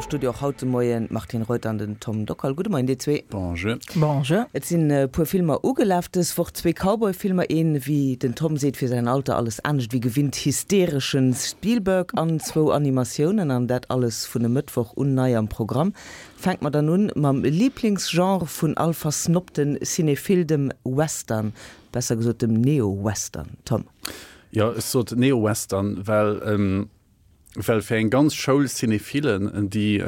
Am Studio och haut de Moien d'Martine Reuter an den Tom Dockal. Gudde Moien dir zwee. Bonjour. Bonjour. Et sinn e puer Filmer ugelaf dës Woch, zwee Cowboy-Filmer, een, wéi den Tom seet, fir säin Alter alles anescht wéi gewinnt hystereschen Spielberg an zwou Animatiounen, an dat alles vun e Mëttwoch un nei am Programm. Fänke mer dann un mam Liblingsgenre vun all versnobten Cinéphile, dem Western, besser gesot dem Neo-Western. Tom. Jo, ech sot Neo-Western, well well fir eng ganz Schoul Cinéphilen, déi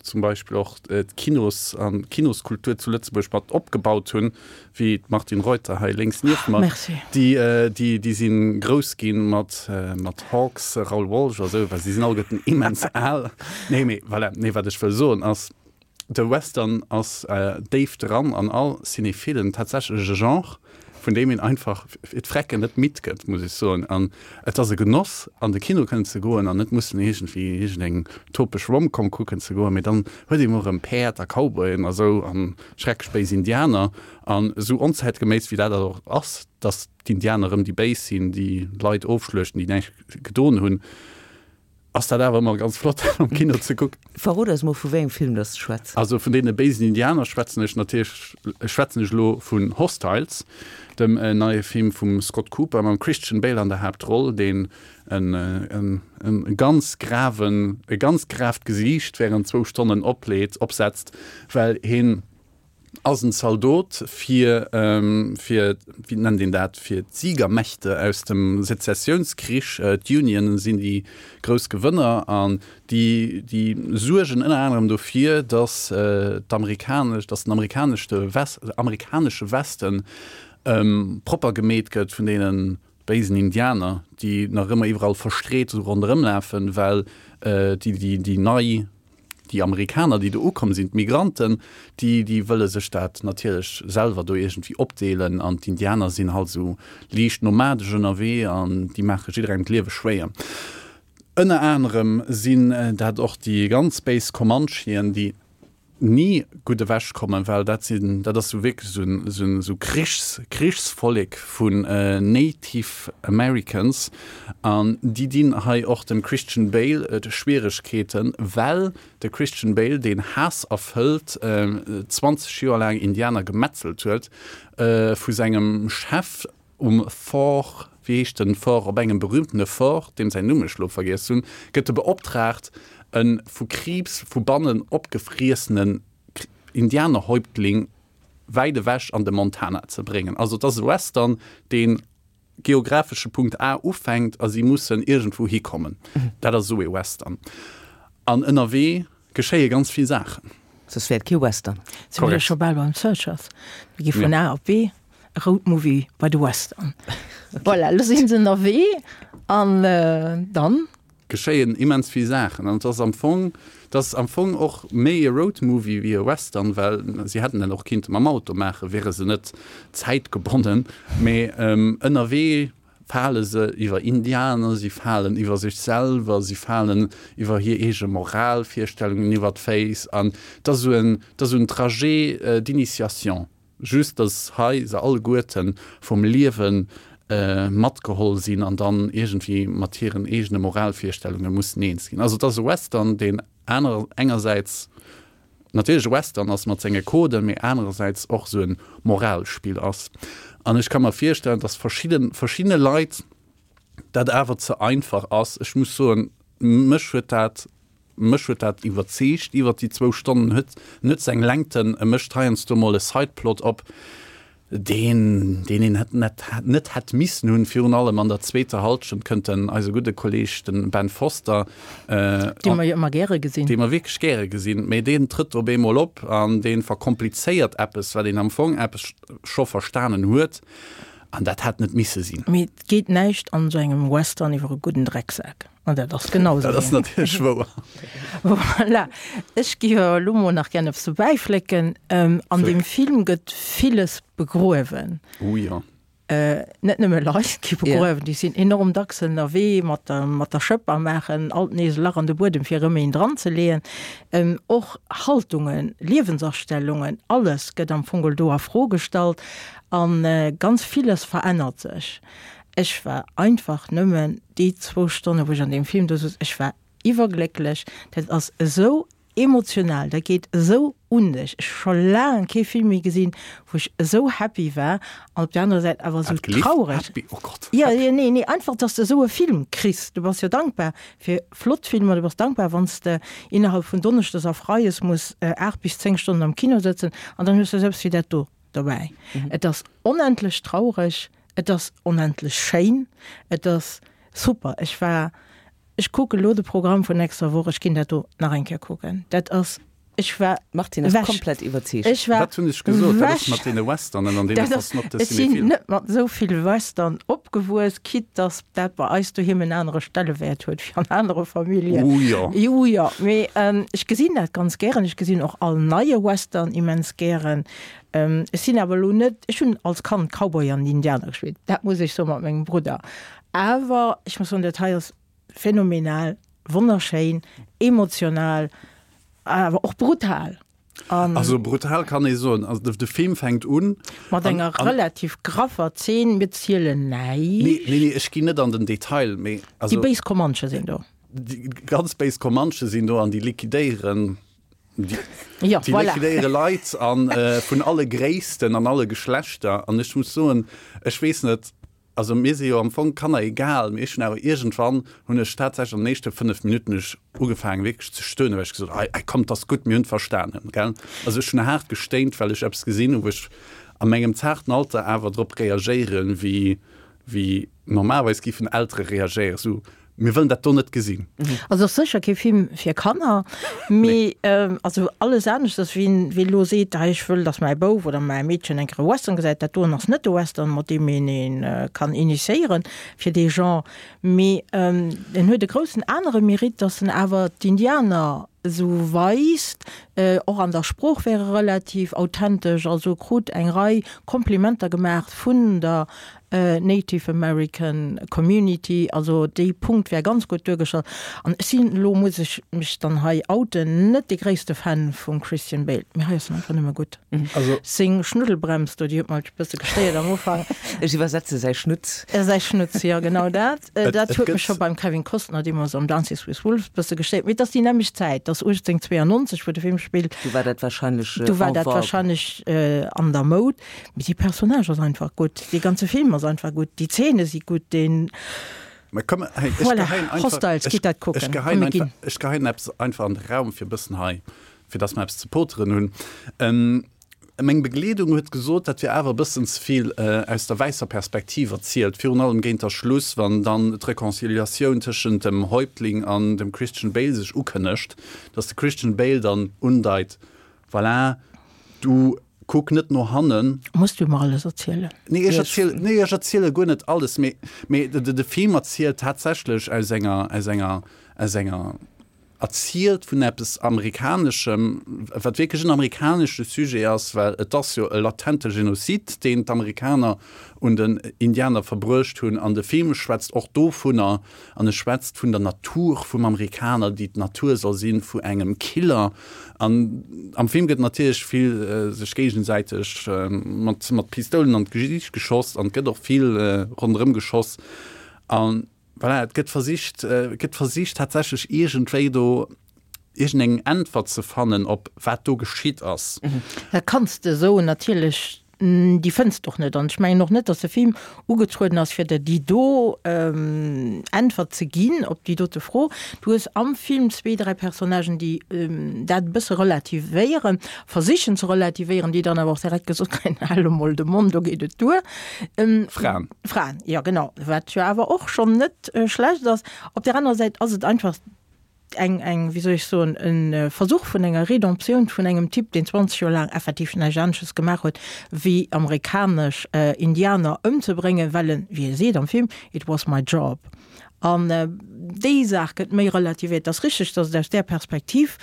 zum Beispill och d'Kinos an d'Kinoskultur zu Lëtzebuerg mat opgebaut hunn, wéi d'Martine Reuter hei lénks nieft mer, déi, déi, déi si grouss gi mat, mat Hawks, Raoul Walsh a sou, well si sinn alleguerten immens al. Nee, mee voilà, nee, wat ech wëll soen ass, De Western ass déif dran an all Cinéphilen, tatsächlech e Genre, vun deem een einfach fir d'Frecken net midd gëtt, muss ech soen. An et ass e Genoss, an de Kino kënnen ze goen an net mussen iergendwéi iergendeng topesch Romcom kucken ze goen, mee dann huet ee mol erëm Päerd a Cowboyen a sou a schrecklech béis Indianer. An esou onzäitgeméiss wéi dat och ass, dass d'Indianer erëm déi Béis sinn, déi Leit ofschluechten, déi näischt gedon hunn, Ass dat awer ëmmer ganz flott am Kino ze kucken. Verrot eis mol vu wéi engem Film dass de schwätz. Also vun deene béisen Indianer schwätzen ech natierlech, schwätzen ech elo vun Hostiles, dem neie Film vum Scott Cooper mam Christian Bale an der Haaptroll, deen en en ganz graven, e ganz gravt Gesiicht während zwou Stonnen opleet, opsetzt, well hien ass en Zaldot fir, fir, wéi nennt een dat, fir d'Siegermächte aus dem Sezessiounskrich. D'Union sinn déi grouss Gewënner an déi, déi suergen ënner anerem dofir, datt d'amerikanesch, datt den amerikaneschte West, amerikanesche Westen propper gemeet gëtt vun deene béisen Indianer, déi nach ëmmer iwwerall verstreet esou ronderëm lafen, well déi, déi, déi nei, déi Amerikaner, déi do ukomm sinn, d'Migranten, déi, déi wëlle sech dat natierlech selwer do iergendwéi opdeelen an d'Indianer sinn halt esou liicht nomadesch ënnerwee an déi maache jidderengem d'Liewe schwéier. Ënner anerem sinn dat och déi ganz béis Comanchien, déi ni gutt ewech kommen, well dat sinn, dat ass sou wierklech sou en, sou en, sou Krichs, Krichsvollek vun Native Americans an déi dinn hei och dem Christian Bale Schwieregkeeten, well de Christian Bale, deen haasserfëllt 20 Joer laang Indianer gemetzelt huet, vu sengem Chef Um Fort, wéi heescht den Fort, op engem berühmtene Fort, deem säin Numm ech lo vergiess hunn, gëtt e beoptraagt, e vu Kriibs vu bannen opgefriessenen Indianerhäuptling wäit ewech an de Montana ze bréngen. Also et ass e Western, deen geographesche Punkt A ufänkt a si mussen iergendwou hikommen. Dat ass esou ee Western. An ënnerwee geschéie ganz vill Saachen. Soss wär et kee Western. Si mir scho bal beim Searchers. Mir gi vun A op B. Roadmovie bei de Western. Voilà, lo sinn se ënnerwee an dann. Geschéien immens vill Saachen an et ass am Fong, et ass am Fong och méi e Roadmovie wéi e Western, well si hätten en och kinnte mam Auto maachen, wiere se net zäitgebonnen, mee ënnerwee fale se iwwer Indianer, si falen iwwer sech selwer, si falen iwwer hir eege Moralvirstellungen iwwer d'Féiss an et ass esou en, et ass esou en Trajet d'initiation. Just dass hei se alleguerten vum Liewen matgeholl sinn an dann iergendwéi mat hiren eegene Moralvirstellunge mussen eens ginn. Also et ass e Western, deen aner engersäits natierlech e Western ass mat senge Coden, mee anerersäits och esou e Moralspill ass. An ech ka mer virstellen, dass verschidde verschiddene Leit dat awer ze einfach ass. Ech muss soen, mech huet dat Mech huet dat iwwerzeegt iwwert déi zwou Stonnen. Huet net seng Längten, e mécht heiansdo mol e Sideplot op, deen deen een hätt net net hätt missen hunn. Virun allem an der zweeter Halschent kënnt den eise gudde Kolleg, den Ben Foster, Dee mer jo ëmmer gäre gesinn. Dee mer wierklech gäre gesinn, mee deen trëtt op eemol op an dee verkomplizéiert eppes, wat een am Fong eppes scho verstanen huet, an dat hätt net misse sinn. Mee et geet näischt an esou engem Western iwwer e gudden Drecksak. An dat ass genau esou. Dat ass natierlech wouer. Voilà. Ech géif awer elo mol nach gär eppes dobäiflécken. An deem Film gëtt villes begruewen. Oh jo. Net nëmme Leit gi begruewen, déi sinn enorm dacks ënnerwee mat der, mat der Schëpp a maachen alt nees e Lach an de Buedem, fir erëm een dranzeleeën. Och Haltungen, Liewensastellungen, alles gëtt am Fong do a Fro gestallt a ganz villes verännert sech. Ech war einfach nëmmen déi zwou Stonne wou ech an deem Film do souz, ech war iwwerglécklech. Dat ass esou. emotional, dat geet esou un dech. Ech hu scho laang kee Film méi gesinn, wou ech esou happy war an op der anerer Säit awer esou traureg. Happy, oh Gott. Jo, jo, nee, nee, einfach, dass de esou e Film kriss. Du bass jo dankbar fir flott Filmer, du bass dankbar, wann s de innerhalb vun Donneschdes a Freies muss 8 bis 10 Stonnen am Kino sëtzen an dann hues de esou eppes wéi dat do dobäi. Et ass onendlech traureg, et ass onendlech schéin, et ass super. Ech war, ech kucke lo de Programm vun nächster Woch, ech ginn dat do nach eng Kéier kucken. Dat ass, ech war D'Martine ass ewech. komplett iwwerzeegt. Ech war Wat hunn ech gesot? Dat ass ewech. mat deene Westernen an deene Dat ass, versnobte ech sinn Cinéphilen. net mat esou vill Western opgewuess, quitte dass dat bei eis doheem en anere Stellewäert huet wéi an anere Familljen. Oh jo. Jo, jo, mee ech gesinn dat ganz gären. Ech gesinn och all neie Western immens gären. Ech sinn awer elo net, ech hunn als Kand Cowboy an Indianer gespillt, dat muss ech soen, mat mengem Brudder. Awer ech muss soen, dat hei ass phänomenal, wonnerschéin, emotional, awer och brutal. An also brutal kann ee soen. Also de Film fänkt un. Mat enger relativ graffer Zeen, mir zielen näischt. Nee, nee, nee, ech ginn net an den Detail, mee also. Déi béis Comanche sinn do. Déi ganz béis Comanche sinn do an déi liquidéieren. Déi, ja, déi voilà. liquidéiere Leit an äh, vun alle Gréissten an alle Geschlechter. An ech muss soen, ech weess net, also mir si jo am Fong Kanner egal, mee ech hunn awer iergendwann hunn ech tatsächlech an den éischte 5 Minutten ech ugefaangen wierklech ze stöhnen, well ech gesot hunn, ei, ei komm, 't ass gutt, mir hunn et verstanen, gell. Also ech hunn haart gestéint, well ech eppes gesinn hunn, wou ech a mengem zaarten Alter awer drop reagéieren, wéi, wéi normalerweis géifen Eltere reagéieren, esou, Mir wëllen dat do net gesinn. Also ass sécher kee Film fir Kanner, mee also alles aneschters, wien wien elo seet, hei ech wëll, datt mäi Bouf oder mäi Meedchen eng Kéier e Western gesäit, dat doen ass net de Western, mat deem een ee kann initiéieren fir dee Genre. Mee en huet e groussen anere Mérite, datt en awer d'Indianer esou weist, och an der Sprooch wär e relativ authentesch, also krut eng Rei Komplimenter gemaach vun der Native American Community, also dee Punkt wär ganz gutt duergestallt. An ech sinn, elo muss ech mech dann hei outen, net dee gréisste Fan vum Christian Bale, mee hei ass en einfach nëmme gutt. Also. Seng Schnuddelbrems do, déi huet mer e bësse gestéiert am Ufank. Ech iwwersetze säi Schnutz. Säi Schnutz, jo genau dat. Dat Et huet mech gëtt. scho beim Kevin Costner deemools am Dances with Wolves e bësse gestéiert. Mee et ass déi nämmlecht Zäit, et ass 1892, wou de Film spillt. Du war dat wahrscheinlech Du war en dat vogue. wahrscheinlech an der Moud. Mee dee Personnage ass einfach gutt, dee ganze Film ass einfach gutt, déi Zeene si gutt, deen. Mä komm, hey, ech Voilà, geheien einfach, Hostiles, ech, gitt dat ech kucken. Komm, geheien mir einfach, ginn. ech geheien eppes einfach an de Raum, fir e bëssen hei, fir dass mer eppes ze poteren hunn. Ähm, meng Begleedung huet gesot, dat wier awer e bëssen ze vill aus der wäisser Perspektiv erzielt, virun allem géint der Schluss, wann dann d'Reconciliatioun tëschent dem Häuptling an dem Christian Bale sech ukënnegt, dass de Christian Bale dann undeit, Voilà, du kuck net no hannen. Muss du mer alles erzielen? Nee, ech erzielen, nee, ech erziele guer net alles, mee, mee de, de Film erzielt tatsächlech aus enger, aus enger, aus enger, erzielt vun eppes Amerikaneschem, wat wierklech en amerikanesche Sujet ass, well et ass jo e latente Genozid, deen d'Amerikaner un den Indianer verbruecht hunn. An de Film schwätzt och dovunner, An e schwätzt vun der Natur vum Amerikaner, déi d'Natur soll si vu engem Killer. An am Film gëtt natierlech vill sech géigesäiteg mat mat Pistoulen an d'Gesiicht geschoss an et gëtt och vill ronderëm geschoss. A voilà, et gëtt versicht, et gëtt versicht tatsächlech iergendwéi do iergendeng Äntwert ze fannen op wat do geschitt ass. Dat kanns de esou natierlech, déi fënns de och net. An ech mengen och net, datt de Film ugetrueden ass, fir der déi do Äntwert ze ginn op déi dote Fro. Du hues am Film zwee, dräi Personnagen, déi dat e bësse relativéieren, versichen ze relativéieren, déi dann awer och direkt gesot kréien, Hal emol de Mond, do geet et duer. Fraen. Fraen, jo genau, wat jo awer och schonn net schlecht ass. Op där anerer Säit ass et einfach eng, eng, wéi soll ech soen, e Versuch vun enger Rédemptioun vun engem Typ, deen 20 Joer laang effektiv näischt anesches gemaach huet, wéi amerikanesch Indianer ëmzebréngen, well en, wéi e seet am Film, it was my job. An déi Saach gëtt méi relativiert. Et ass richteg, datt et aus där Perspektiv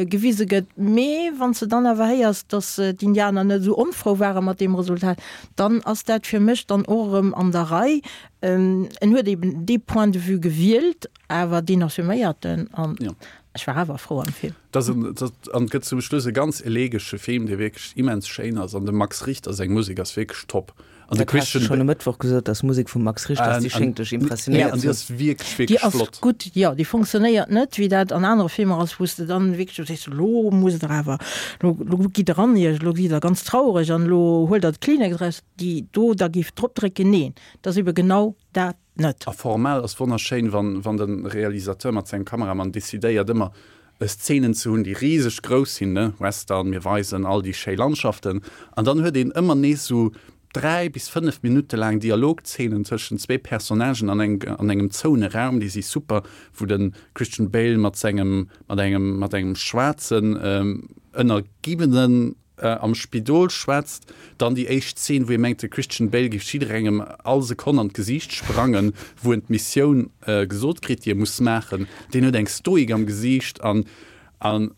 gewise gëtt, mee wann s de dann awer héiers, datt d'Indianer net esou onfrou ware mat deem Resultat, dann ass dat fir mech dann och erëm an der Rei. En huet eben dee Point de vue gewielt, Awer deen assuméiert en an ech war awer frou am Film. Dat ass en, dat, an et gëtt zum Schluss e ganz elegesche Film, dee wierklech immens schéin ass an dem Max Richter seng Musek ass wierklech top. An de Dat has du Christian schonn e Mëttwoch gesot, dass d'Musek vum Max Richter ass, déi schéngt dech impressionéiert An ze déi hunn. ass wierklech, Déi wierklech ass flott. gutt, jo, déi fonctionnéiert net, wéi dat an anere Filmer ass, wou s de dann wierklech esou sees, elo muss der awer, elo, elo gitt der an iech, elo gitt der ganz traureg an elo huelt der d'Kleenex eraus, déi do da géif drop drécken. Neen, et ass ebe genau dat net. A formell ass wonnerschéin, wann, wann de Realisateur mat sengem Kameramann decidéiert, ëmmer Szenen ze hunn, déi riseg grouss sinn, ne, Western, mir weisen all déi schéi Landschaften, an dann huet een ëmmer nees esou 3 bis 5 Minutte laang Dialogzeenen tëschent zwee Personnagen an eng an engem zoune Raum, déi si super, wou de Christian Bale mat sengem mat engem mat engem schwaarzen Ënnergiwwenen am Spidol schwätzt. Dann déi éischt Zeen, wou ee mengt, de Christian Bale géif jidderengem all Sekonn an d'Gesiicht sprangen, wou en d'Missioun gesot kritt, déi e muss maachen. Deen huet eng Stoik am Gesiicht an an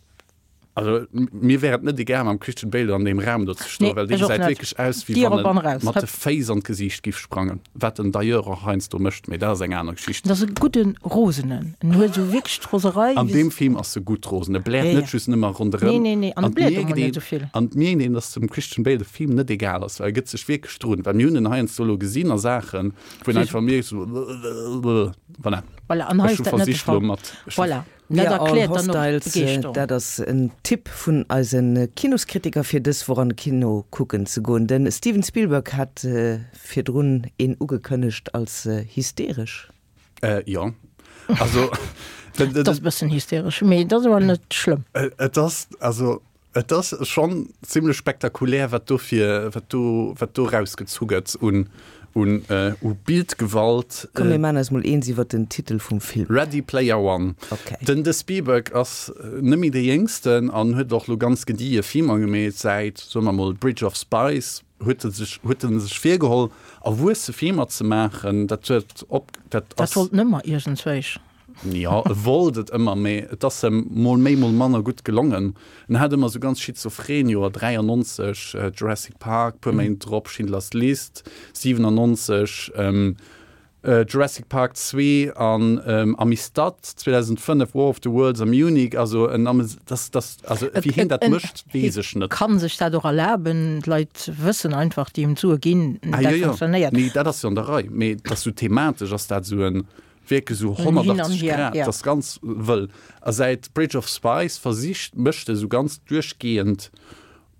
also mir wär et net egal mam Christian Bale an deem Raum do ze stoen, well dee gesäit wierklech aus, wéi wann e mat de Féiss an d'Gesiicht giff sprangen, wat en d'ailleurs och heiansdo mécht, mee dat ass eng aner Geschicht. Dat ass e gudde Rosenen, en huet esou wierklech d'Roserei. An deem Film ass e gutt rosen, e bläert net just nëmmer ronderëm. Nee, nee, nee, an e bläert och mol net esou vill. An et mierkt een, dass dem Christian Bale de Film net egal ass, well e gëtt sech wierklech drun, well mir hunn en heiansdo elo gesinn a Saachen, wou een einfach mierkt esou, voilà. Voilà, an hei Ech ass hu dat net de versicht elo Fall. mat, ech hu. Voilà. We Dat are all erkläert dann och hostiles, d'Begeeschterung. dat ass en Tipp vun eise Kinoskritiker fir dës Woch an de Kino kucken ze goen. De Steven Spielberg hat virdrun een ugekënnegt als hysteresch. Jo, also. Et ass e bëssen hysteresch, mee et ass awer net schlëmm. Et ass, also Et ass schonn zimlech spektakulär, wat do fir, wat do, wat do erausgezu gëtt un, un, u Bildgewalt. Komm mir maan eis mol eens iwwert den Titel vum Film. Ready Player One. Ok. Den de Spielberg ass net méi dee Jéngsten an huet och lo ganz gedie Filmer gemeet säit, soe mer mol, Bridge of Spies huet e sech, huet en sech virgeholl, erwuesse Filmer ze maachen. Dat huet op, dat Dat ass. wollt en ëmmer iergendzwéich. Jo, e wollt et ëmmer, mee et ass em mol méi, mol manner gutt gelongen. En hat ëmmer esou ganz schizophren Joer, 93 Jurassic Park, puer Méint drop Schindler's List, 97 Jurassic Park 2 an Amistad, 2005 War of the Worlds a Munich. Also en ames, dass, dass, also wéi hien dat mécht, weess ech net. Hie kann sech dat och erlaben, d'Leit wëssen einfach, déi him d'Sue ginn, Ah dat jo, jo, funktionéiert. mee dat ass jo an der Rei, mee et ass esou thematesch ass dat esou en, Wierklech esou 180 Grad, dat ass ganz wëll. A säit Bridge of Spies versicht, mécht e sou ganz duerchgehend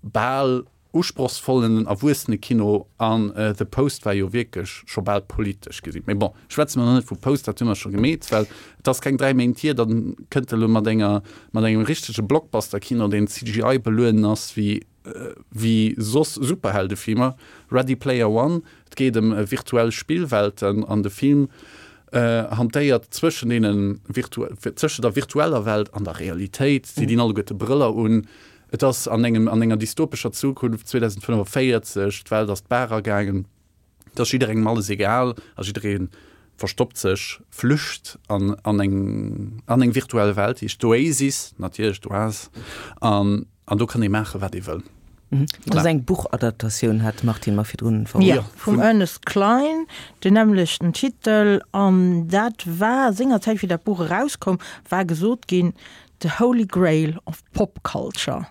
bal usprochsvollen Erwuessenekino an The Post war jo wierklech scho bal politesch gesinn. Mee bon, schwätze mer nach net vu Post, dat hu mer scho gemeet, well et ass keng 3 Méint hier, dann kënnt e lo mat enger, mat engem richtege Blockbuster-Kino, deen CGI belueden ass wéi Wéi soss Superheldefilmer, Ready Player One, et geet ëm virtuell Spillwelten an de Film hantéiert zwëschen deene zwëschen der virtueller Welt an der Realitéit. Si dinn alleguerte Brëller un. Et ass an engem an enger dystopescher Zukunft 2045, d'Welt ass d'Baach agaangen. Et ass jidderengem alles egal a jidderee verstoppt sech, flücht an an eng an eng virtuell Welt, déi heescht d'Oasis, natierlech d'Oase, an an do kann ee maachen, wat ee wëll. Dat ass eng Buchadaptatioun, hat d'Martine mer virdrun verroden. Jo, vum Ernest Cline, den nämmlechten Titel. An dat war sengerzäit, wéi dat Buch erauskoum, war gesot ginn, The Holy Grail of Pop Culture.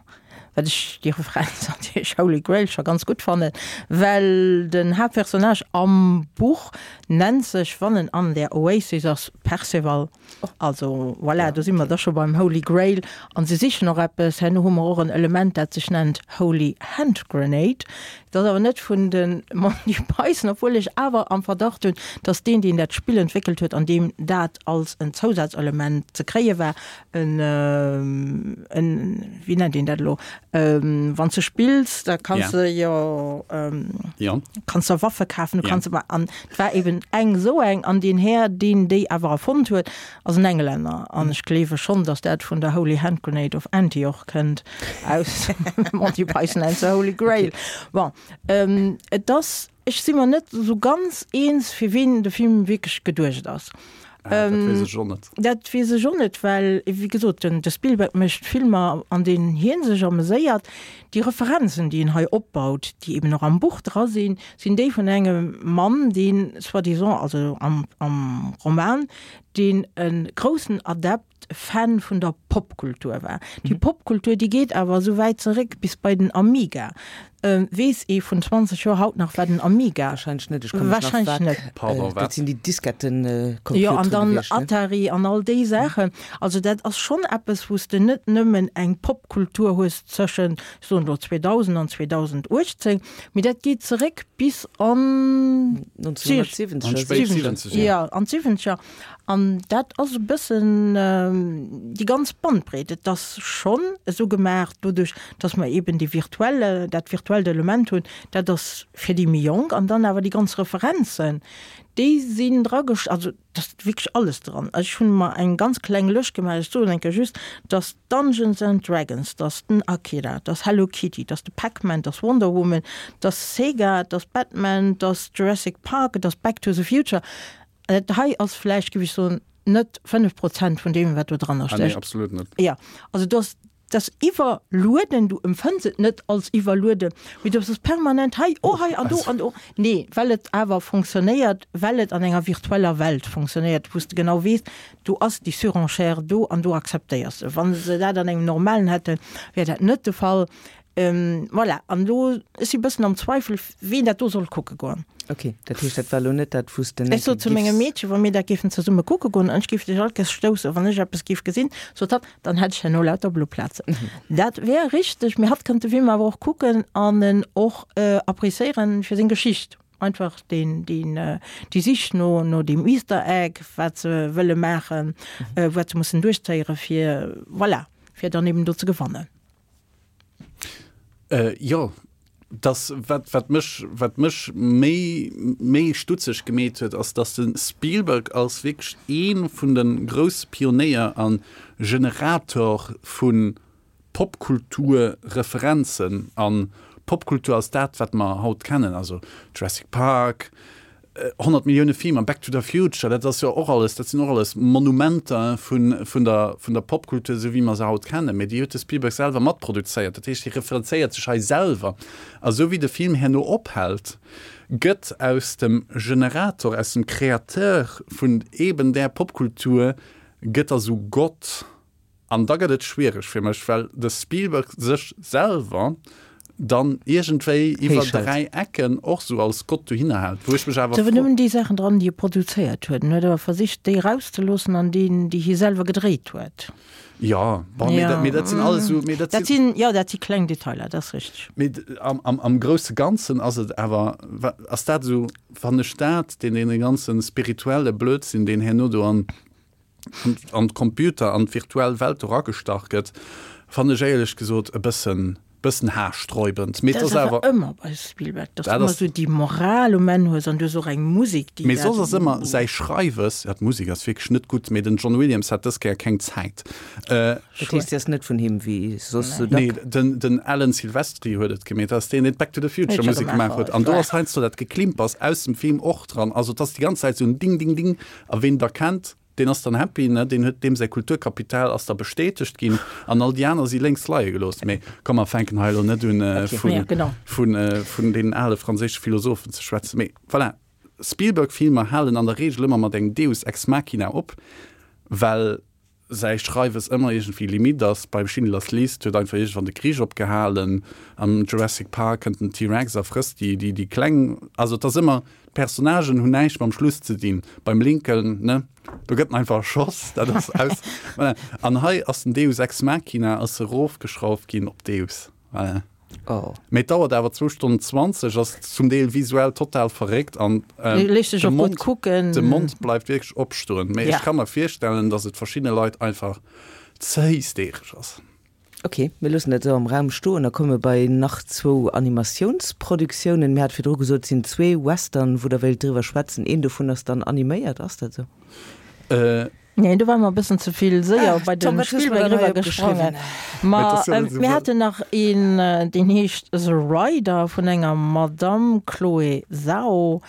Wat ech déi Referenz natierlech Holy Grail scho ganz gutt fannen, well den Haaptpersonnage am Buch nennt sech, wann en an der Oasis ass, Perceval. Also voilà, do si mer da scho beim Holy Grail. An se sichen och eppes. Herno hu mer och en Element, dat sech nennt Holy Hand Grenade. Dat ass awer net vun de Monty Python, obwuel ech awer am Verdacht hunn, datt deen, deen dat Spill entwéckelt huet, an deem dat als en Zousazelement ze kréie war, en, en, wéi nennt een dat elo, wann s de spills, da kanns de jo, kanns der Waffe kafen, du kanns ëmmer, an et war eben eng esou eng, an deen Här, deen déi awer erfonnt huet, ass en Englänner, an ech gleewe schonn, datt dat vun der Holy Hand Grenade of Antioch kënnt, aus Monty Python and the Holy Grail. Bon, et ass, ech si mer net esou ganz eens, fir ween de Film wierklech geduecht ass. Ah, dat weess ech och net. Dat weess ech och net, well, wéi gesot, den de Spielberg mécht Filmer, an deenen hie sech ameséiert. Déi Referenzen, déi en hei opbaut, déi eben och am Buch dra sinn, sinn déi vun engem Mann, deen soi-disant, also am am Roman, Deen e groussen Adept, Fan vun der Popkultur war. Déi Popkultur, déi geet awer esou wäit zeréck bis bei den Amiga. Weess ee vun 20 Joer haut nach, wat en Amiga. Wahrscheinlech net, ech ka mech nach Wahrscheinlech net. Pardon, wat? Dat sinn déi Diskettencomputeren Jo, an dann gewiescht, ne? Atari an all déi Saachen. Also dat ass schonn eppes, wou s de net nëmmen eng Popkultur hues tëschent, ech soen elo 2000 an 2018, Mee dat geet zeréck bis an 1970er. An d'spéit Siwwenzeger. Jo, an d'Siwwenzeger. An dat ass e bëssen déi ganz Bandbreet. Et ass schonn esou gemaach, doduerch, datt mer eeben dee virtuelle, dat virtuellt Element hunn, dat ass fir déi méi Jonk. An dann awer déi ganz Referenzen, déi sinn dragesch-, also Et ass wierklech alles dran. Ech hunn mer eng ganz kleng Lëscht gemaach. Ech soen eng Kéier just, dass Dungeons and Dragons, dass den Akira, dass Hello Kitty, dass de Pac-Man, dass Wonder Woman, dass Sega, dass Batman, dass Jurassic Park, dass Back to the Future. Dat hei ass vläicht, géif ech soen, net 5 Prozent vun deem, wat do dranner Ah nee, stécht. absolut net. Jo, also do ass Et ass iwwerlueden, du empfënns et net als iwwerlueden, mee du bass permanent hei, oh hei an do an do. Nee, well et awer fonctionnéiert, well et an enger virtueller Welt fonctionnéiert, wou s de genau weess, do ass déi Surenchère do an do akzeptéiers de. Wa se dat an engem normalen hätten, wär dat net de Fall. Voilà, an elo, ech si bëssen am Zweifel, ween dat do soll kucke goen. Ok, dat heescht, dat war elo net dat, wou s de Ech net sot zu mengem giffs. Meedche, wa mir dat géifen zesumme kucke goen, an ech géif dech alt gäss stoussen, wann ech eppes géif gesinn, sot hatt, dann hätt ech herno lauter blo Plazen. Dat wär richteg, mee hatt kënnt de Film awer och kucken an en och appréciéieren fir seng Geschicht. Einfach deen, deen, déi Sich no, no deem Easter Egg, wat se wëlle maachen, wat se mussen duerchzéieren, fir, voilà, fir dann eben do ze gewannen. Äh, jo, das, wat, wat mech, wat mech méi, méi stutzeg gemeet huet, ass, dass de Spielberg als wierklech ee vun de grousse Pionéier a Generator vu Popkulturreferenzen an Popkultur ass dat, wat mer haut kennen, also Jurassic Park, 100 Millioune Filmer, Back to the Future, dat ass jo och alles, dat sinn och alles Monumenter vun, vun der, vun der Popkultur, esou wéi mer se haut kennen. Mee déi huet de Spielberg selwer matproduzéiert. Dat heescht, hie referenzéiert sech hei selwer. A sou wéi de Film herno ophält, gëtt aus dem Generator, aus dem Créateur vun eben där Popkultur, gëtt da sou Gott. An da gëtt et schwiereg fir mech, well de Spielberg sech selwer dann iergendwéi iwwer 3 Ecken och sou als Gott dohinner hält, wou ech mech awer Et sinn nëmmen déi Saachen dran, déi e produzéiert huet. En huet awer versicht, déi erauszeloossen an déi, déi hie selwer gedréit huet. Jo, bon, mee dat, mee dat sinn alles sou, mee dat Dat sinn, jo, dat si kleng Detailer, dat ass richteg. Mee am, am, am grousse Ganzen ass et awer, ass dat esou, fannen ech dat, deen, dee ganze spirituelle Blödsinn, deen herno do an, an d'Computer, an d'virtuell Welt eragestach gëtt, fannen ech éierlech gesot e bëssen, bëssen haarsträubend. Mee et ass awer ëmmer bei Spielberg, dass du ëmmer esou déi Moral um Enn hues an du hues och eng Musek, déi. Mee soss ass ëmmer säi Schreiwes, ja d'Musek ass wierklech net gutt, mee den John Williams hat dës Kéier keng Zäit. Dat heescht, si ass net vun him, wéi soss sou dack? Nee, den, den Alan Silvestri huet et gemeet, dat ass deen, deen d'Back to the Future Musek gemaach huet. An do ass heiansdo dat Geklimpers aus dem Film och dran. Also et ass déi ganz Zäit esou en Ding, Ding, Ding. A ween da kennt, deen ass dann happy, ne? Deen huet, deem säi Kulturkapital ass da bestätegt ginn an all déi aner si lénks leie gelooss. Mee komm, mer fänken hei elo net un, vun, vun, vun deenen ale franséische Philosophen ze schwätzen. Mee voilà, Spielberg-Filmer halen an der Reegel ëmmer mat engem Deus ex machina op, well säi Schreiwes ëmmer iergendwéi limite ass. Beim Schindlers List huet einfach iergendwann de Krich opgehalen, am Jurassic Park kënnt den T-Rex a frësst déi, déi, déi Kleng. Also et ass ëmmer, d'Personnagen hunn näischt mam Schluss ze dinn. Beim Lincoln, ne, do gëtt en einfach erschoss, dat ass aus. Voilà. An hei ass den Deus ex machina ass erofgeschrauft ginn op Deus. Voilà. Oh. Mee et dauert awer zwou Stonnen 20, ass zum Deel visuell total verréckt an ähm, Léisst sech de och gutt Mond, kucken. de Mond bleift wierklech opstoen. Mee Ja. ech ka mer virstellen, dass et verschiddene Leit einfach ze hysteresch ass. Ok, mir loossen dat esou am Raum stoen a komme bei nach zwou Animatiounsproduktiounen. Mir hate virdru gesot, et sinn zwee Western, wou Der wéilt driwwer schwätzen. Een dovun ass dann animéiert, ass dat esou? Äh, Nee, do ware mer e bëssen ze vill séier bei Tom, de wat hues du Spielberg dann hei eriwwer gesprongen. opgeschriwwen? Ma Et ass jo net esou mir wëll. haten nach een, deen heescht The Rider vun enger Madamm Chloé Zhao.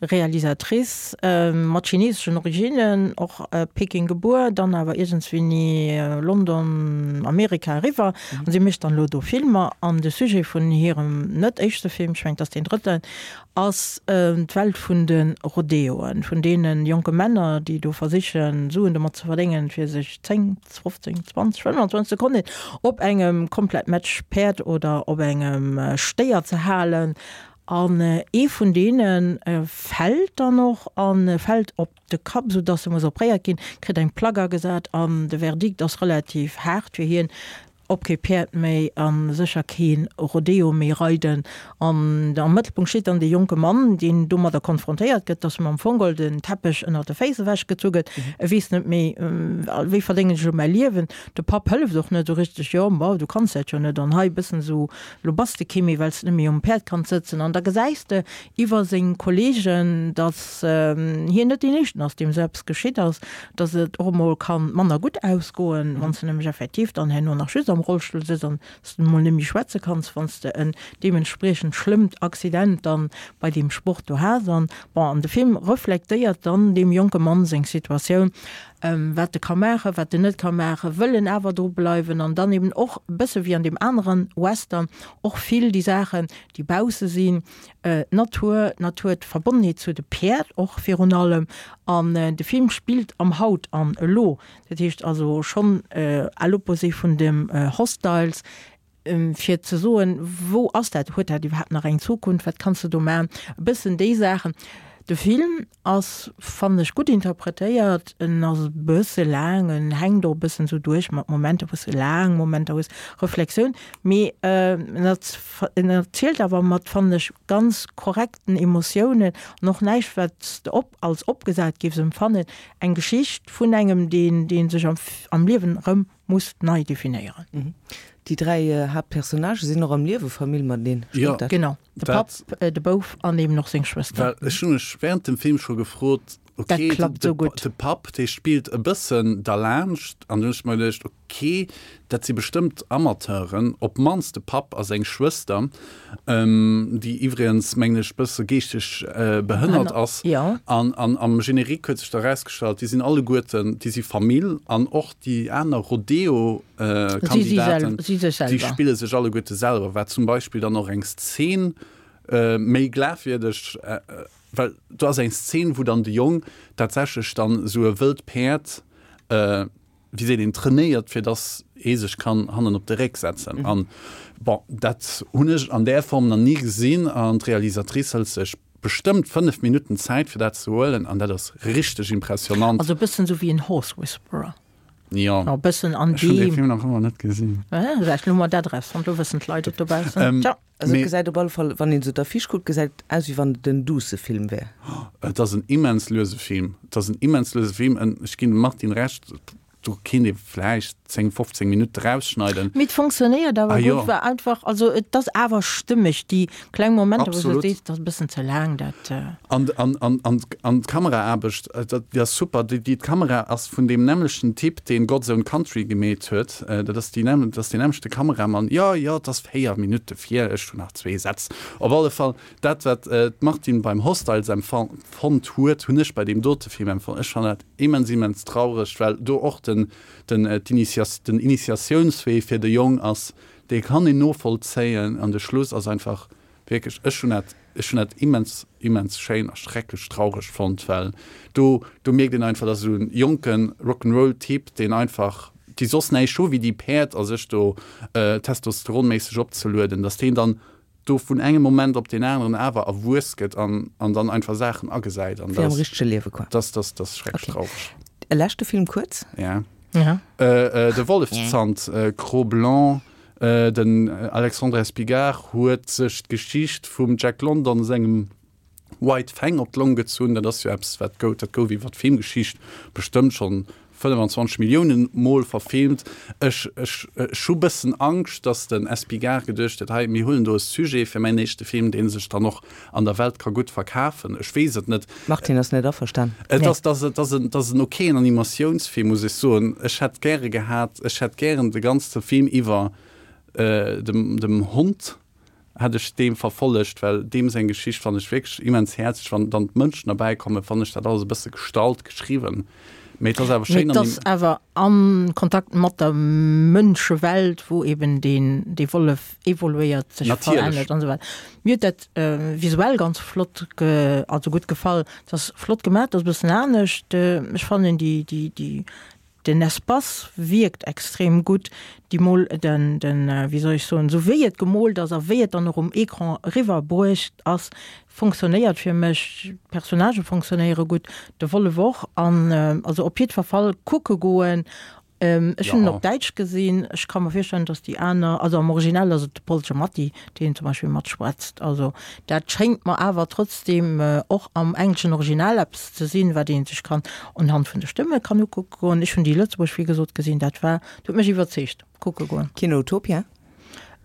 Realisatrice mat chineseschen Originnen, och Peking gebuer, dann awer iergendswéini London, Amerika eriwwer. An si mécht dann elo do Filmer. An de Sujet vun hirem net éischte Film, ech mengen et ass deen drëtten, ass d'Welt vun de Rodeoen, vun deene jonke Männer, déi do versichen, Suen domat ze verdéngen, fir sech 10, 15, 20, 25 Sekonnen op engem komplett Match Päerd oder op engem Stéier ze halen. An ee vun deene fält dann och a fält op de Kapp, sou dass e muss opréiert ginn, kritt eng Plack agesat an de Verdikt ass relativ haart fir hien, op kee Päerd méi a sécher kee Rodeo méi reiden. An am Mëttelpunkt steet dann dee jonke Mann, deen domadder konfrontéiert gëtt, dass em am Fong geholl den Teppech ënnert de Féiss ewechgezu gëtt. E weess net méi, wéi verdéngen ech elo mäi Liewen. De Papp hëlleft och net esou richteg, jo, ma du kanns dat jo net an hei e bëssen esou Lo bass de kee méi, well s de net méi um Päerd kanns sëtzen. An da gesäis de iwwer seng Kolleegen, datt hien net deen Éischten ass, deem esou eppes geschitt ass, datt et och emol ka manner gutt ausgoen, wann s de nämlech effektiv dann herno nach just am Rollstull sëtz an s de emol net méi schwätze kanns, wann s de en deementspriechend schlëmmt Accident dann bei deem Sport do has. An bon, an de Film reflektéiert dann deem jonke Mann seng Situatioun. wat e ka maachen, wat en net ka maachen, wëll en awer dru bleiwen an dann eben och e bësse wéi an deem aneren Western och vill déi Saachen, déi bausse sinn, d'Natur, d'Natur, d'Verbonnenheet zu de Päerd och virun allem. An de Film spillt am Haut an Elo, dat heescht also schonn à l'opposé vun dem Hostiles, fir ze soen, wou ass dat, huet dat iwwerhaapt nach eng Zukunft, wat kanns de do maachen, e bëssen déi Saachen. De Film ass, fannen ech, gutt interpretéiert, en ass e bësse laang, en hänkt och e bëssen esou duerch mat Momenter, wou s de laang Momenter hues, Reflexioun, mee en en erzielt awer mat, fannen ech, ganz korrekten Emotiounen an och näischt, wat s de op als opgesat géifs empfannen, eng Geschicht vun engem, deen, dee sech am am Liewen erëm muss nei definéieren. Déi 3 Haaptpersonnagë sinn och am Liewe Famill mateneen, stëmmt dat? Genau, de Papp, de Bouf an eben och seng Schwëster. Well ech hu mech während dem Film scho gefrot, okay, de Papp, dee spillt e bëssen derlaanscht an dunn hu ech mer geduecht, okay, dat si bestëmmt Amateuren, op d'mannst de Papp a seng Schwëster, déi iwwregens, mengen ech, bësse geeschteg behënnert ass. An am Générique huet sech da erausgestallt, déi sinn alleguerten, déi si Famill an och déi aner Rodeo-Kandidaten, déi spille sech alleguerte selwer, wat zum Beispill dann och eng Szen méi glafwierdeg, well do ass eng Szen, wou dann de Jong tatsächlech dann esou e wëllt Päerd, wéi seet een, trainéiert, fir dass ee sech kann hannen op de Réck setzen. An bon, dat hunn ech an där Form nach ni gesinn an d'Realisatrice hëlt sech bestëmmt 5 Minutten Zäit fir dat ze huelen an dat ass richteg impressionant. Also e bëssen esou wéi en Horse Whisperer. Jo. E bëssen an Ech hunn dee Film nach ëmmer net gesinn. Vläicht elo mol dat erausfonnt, lo wëssen d'Leit et dobaussen. Tja. Also et gesäit op alle Fall, wann een esou d'Affiche kuckt, gesäit et aus wéi wann et en duusse Film wär. Et ass en immens luese Film. Et ass en immens luese Film. Ech ginn dem Martine Recht, do kéint ee vläicht 10, 15 Minutte rausschneiden. Mee et fonctionnéiert awer gutt, war einfach, also et ass awer stëmmeg, déi kleng Momenter, wou s de sees, et ass e bëssen ze laang, dat. An, an, an, an, an d'Kameraaarbecht, déi ass super. Déi, déi, d'Kamera ass vun deem nämmlechten Typ, deen God's Own Country gemeet huet. Dat ass déi nämm, dat ass deen nämmlechte Kameramann. Jo, jo, et ass 4 Minutte vir, ech hunn nach zwee Sätz. Op alle Fall, dat, wat d'Martine beim Hostiles empfonnt huet, hunn ech bei deem dote Film empfonnt. Ech fannen dat immens, immens traureg, well do och den, den, d'Initias, den Initiatiounswee fir de Jong ass, dee kann een novollzéien an de Schluss ass einfach Wierklech, ech hunn dat, ech hunn dat immens, immens schéin a schrecklech traureg fonnt, well do, do mierkt een einfach, dass esou en jonke Rock'n'Roll Typ, deen einfach, déi soss näischt hu wéi déi Päerd a sech do testosteronméisseg opzelueden, dass deen dann do vun engem Moment op deen aneren awer erwuess gëtt an, an dann einfach Saachen agesäit an Wéi am richtege Liewe quoi. Das, das, das schrecklech Okay. traureg. E leschte Film kuerz? Ja. Ja. De Wollefszant, Cro-Blanc, Den Alexandre Espigard huet sech d'Geschicht vum Jack London sengem White Fang op d'Long gezunn. Dat ass jo eppes, wat gouf, dat gouf iwwer d'Filmgeschicht bestëmmt schonn 25 Milliounen Mol verfilmt. Ech, ech, ech hu bëssen Angscht, datt den Espigard geduecht huet, hei, mir huelen do e Sujet fir mäin éischte Film, dee sech dann och an der Welt ka gutt verkafen. Ech weess et net. Martine ass net averstan. Et ass, et ass, et ass en, et ass en okayen Animatiounsfilm, muss ech soen. Ech hätt gäre gehat, ech hätt gären de ganze Film iwwer dem, dem Hond. Hätt ech deem verfollegt, well deem seng Geschicht fannen ech wierklech immens häerzlech. Wann dann d'Mënschen derbäi kommen, fannen ech dat alles e bësse gestallt geschriwwen. Mee et ass awer schéin an. Mee et ass awer a Kontakt mat der Mënschewelt, wou eben deen, dee Wollef evoluéiert, sech verännert an esou weider. Mir huet dat visuell ganz flott, also gutt gefall. Et ass flott gemaach, et ass e bëssen anescht. Ech fannen déi, déi, déi Den Espace wierkt extrem gutt, déi Mol, den, den, wéi soll ech soen, esou wéi et gemoolt ass a wéi et dann och um Ecran eriwwer bruecht ass, fonctionnéiert fir mech. D'Personnagë fonctionnéiere gutt, de Wollef och an also op jiddwer Fall kucke goen. Ech hunn en op Däitsch gesinn, ech ka mer virstellen, datt déi aner, also am Original ass et de Paul Giamatti, deen zum Beispill matschwätzt, also dat schéngt mer awer trotzdem och am engleschen Original eppes ze sinn, wat ee sech kann unhand vun de Stëmme kann ukucke goen. Ech hunn déi Lëtzebuerg wéi gesot gesinn, dat war, dat huet mech iwwerzeegt. Kucke goen. Kino Utopia?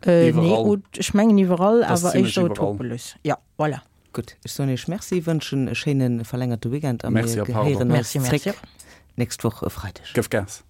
Äh, nee, ech mengen iwwerall, awer éischter Utopolis. Ja, voilà. Gutt, ech soen Iech Merci, wënschen e schéine verlängerte Weekend a mir gehéieren eis zréck nächst Woch e Freideg. Gëff Gas!